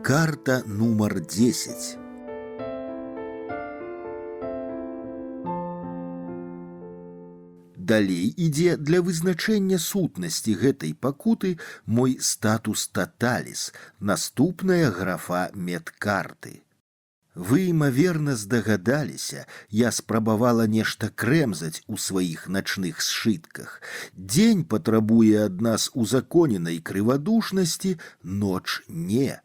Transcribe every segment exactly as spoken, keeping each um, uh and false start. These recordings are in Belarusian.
Карта нумар десять. Далей ідзе для вызначэння сутнасці гэтай пакуты мой статус таталіс, наступная графа медкарты. Вы, імаверна, здагадаліся, я спрабавала нешта крэмзаць у сваіх начных сшытках. Дзень патрабуе ад нас узаконенай крывадушнасці, ноч не.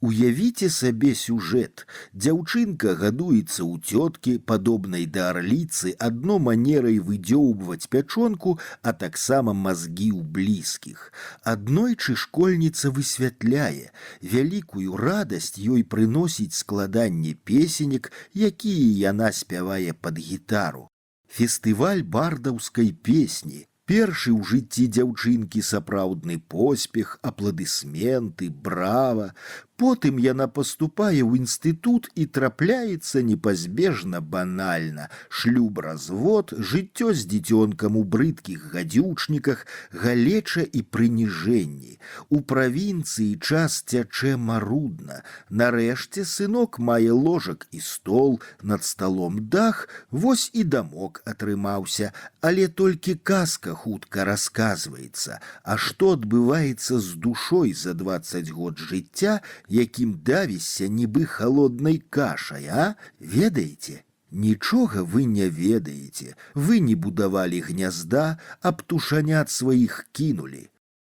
Уявіце сабе сюжэт. Дзяўчынка гадуецца ў цёткі, падобнай да арліцы, адно манерай выдзёўбваць пячонку, а таксама мазгі ў блізкіх. Аднойчы школьніца высвятляе, вялікую радасць ёй прыносіць складанне песенек, якія яна спявае пад гітару. Фестываль бардаўскай песні. Першы ў жыцці дзяўчынкі сапраўдны поспех, апладысменты, брава. Потым яна паступае ў інстытут і трапляецца непазбежна банальна. Шлюб-развод, жыццё з дзіцёнкам у брыдкіх гадзючніках, галеча і прыніжэнні. У правінцыі час цячэ марудна. Нарэшце сынок мае ложак і стол, над сталом дах, вось і дамок атрымаўся, але толькі казка хутка расказваецца. А што адбываецца з душой за дваццаць год жыцця, якім давішся нібы халоднай кашай, а? Ведаеце? Нічога вы не ведаеце. Вы не будавалі гнязда, а птушанят сваіх кінулі.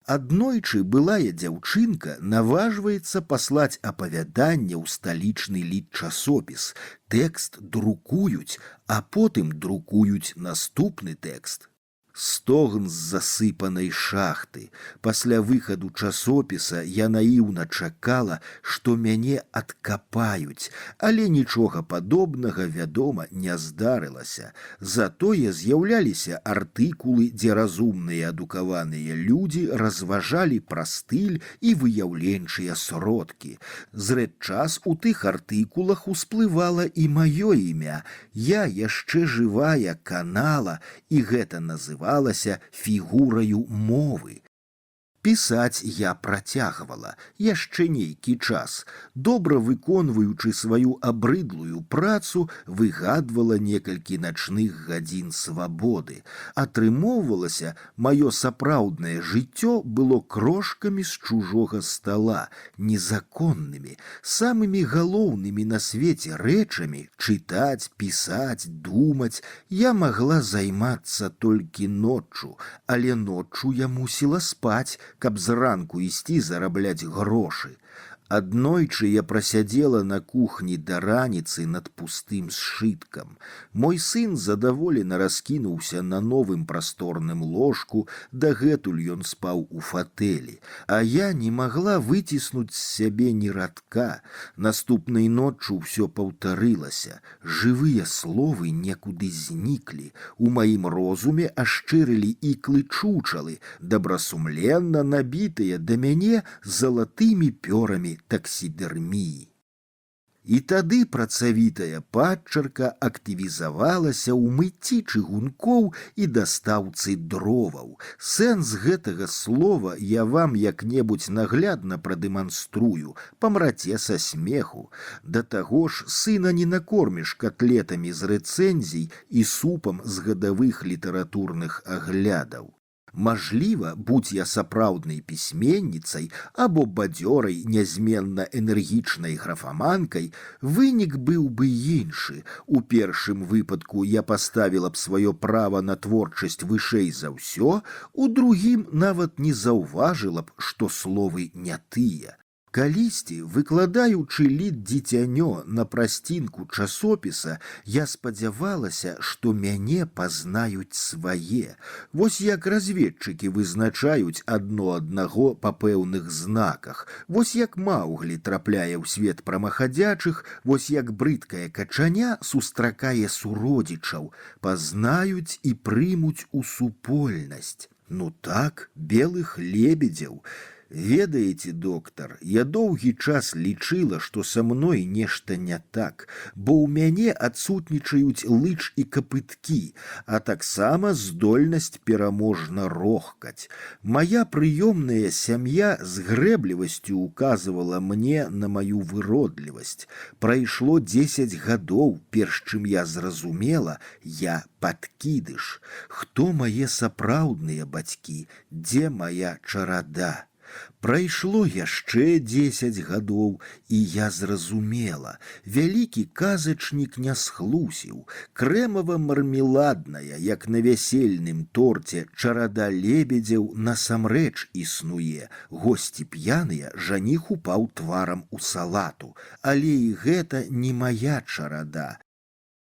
Аднойчы былая дзяўчынка наважваецца паслаць апавяданне ў сталічны літчасопіс. Тэкст друкуюць, а потым друкуюць наступны тэкст. Стогн з засыпанай шахты. Пасля выхаду часопіса я наіўна чакала, што мяне адкапаюць, але нічога падобнага, вядома, не здарылася. Затое з'яўляліся артыкулы, дзе разумныя адукаваныя людзі разважалі пра стыль і выяўленчыя сродкі. Зрэдчас у тых артыкулах усплывала і маё імя. Я яшчэ жывая канала, і гэта называла фігураю мовы. Пісаць я працягвала яшчэ нейкі час. Добра выконваючы сваю абрыдлую працу, выгадвала некалькі начных гадзін свабоды. Атрымоўвалася, маё сапраўднае жыццё было крошкамі з чужога стала, незаконнымі, самымі галоўнымі на свеце рэчамі чытаць, пісаць, думаць. Я магла займацца толькі ноччу, але ноччу я мусіла спаць, каб зранку ісці зарабляць грошы. Аднойчы я прасядзела на кухні да раніцы над пустым сшыткам. Мой сын задаволена раскінуўся на новым прасторным ложку, дагэтуль ён спаў у фатэлі, а я не магла выціснуць з сябе ні радка. Наступнай ноччу ўсё паўтарылася. Жывыя словы некуды зніклі. У маім розуме ашчырылі іклы чучалы, добрасумленна набітыя да мяне залатымі пёрамі таксідэрміі. І тады працавітая падчарка актывізавалася ў мыцці чыгункоў і дастаўцы дроваў. Сэнс гэтага слова я вам як-небудзь наглядна прадэманструю, памраце са смеху. Да таго ж сына не накорміш котлетамі з рэцэнзій і супам з гадавых літаратурных аглядаў. Мажліва, будь я сапраўднай пісьменніцай або бадзёрай, нязменна энергічнай графаманкай, вынік быў бы іншы. У першым выпадку я паставіла б сваё права на творчасць вышэй за ўсё, у другім нават не заўважыла б, што словы не тыя. Калісьці, выкладаючы літ дзіцянё на прасцінку часопіса, я спадзявалася, што мяне пазнаюць свае. Вось як разведчыкі вызначаюць адно аднаго па пэўных знаках. Вось як Маўглі трапляе ў свет прамахадзячых, вось як брыдкая качаня сустракае суродзічаў. Пазнаюць і прымуць у супольнасць. Ну так, белых лебедзяў. Ведаеце, доктар, я доўгі час лічыла, што са мной нешта не так, бо ў мяне адсутнічаюць лыч і капыткі, а таксама здольнасць пераможна рохкаць. Мая прыёмная сям'я з грэблівасцю указывала мне на маю выродлівасць. Прайшло дзесяць гадоў, перш чым я зразумела, я падкідыш. Хто мае сапраўдныя бацькі, дзе мая чарада? Прайшло яшчэ дзесяць гадоў, і я зразумела, вялікі казачнік не схлусіў. Крэмава-мармеладная, як на вясельным торце, чарада лебедзяў насамрэч існуе. Госці п'яныя, жаніх упаў тварам у салату. Але і гэта не мая чарада.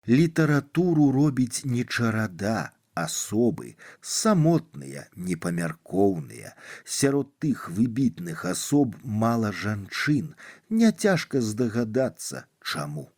Літаратуру робіць не чарада, асобы, самотныя, непамяркоўныя. Сярод тых выбітных асоб мала жанчын. Няцяжка здагадацца, чаму.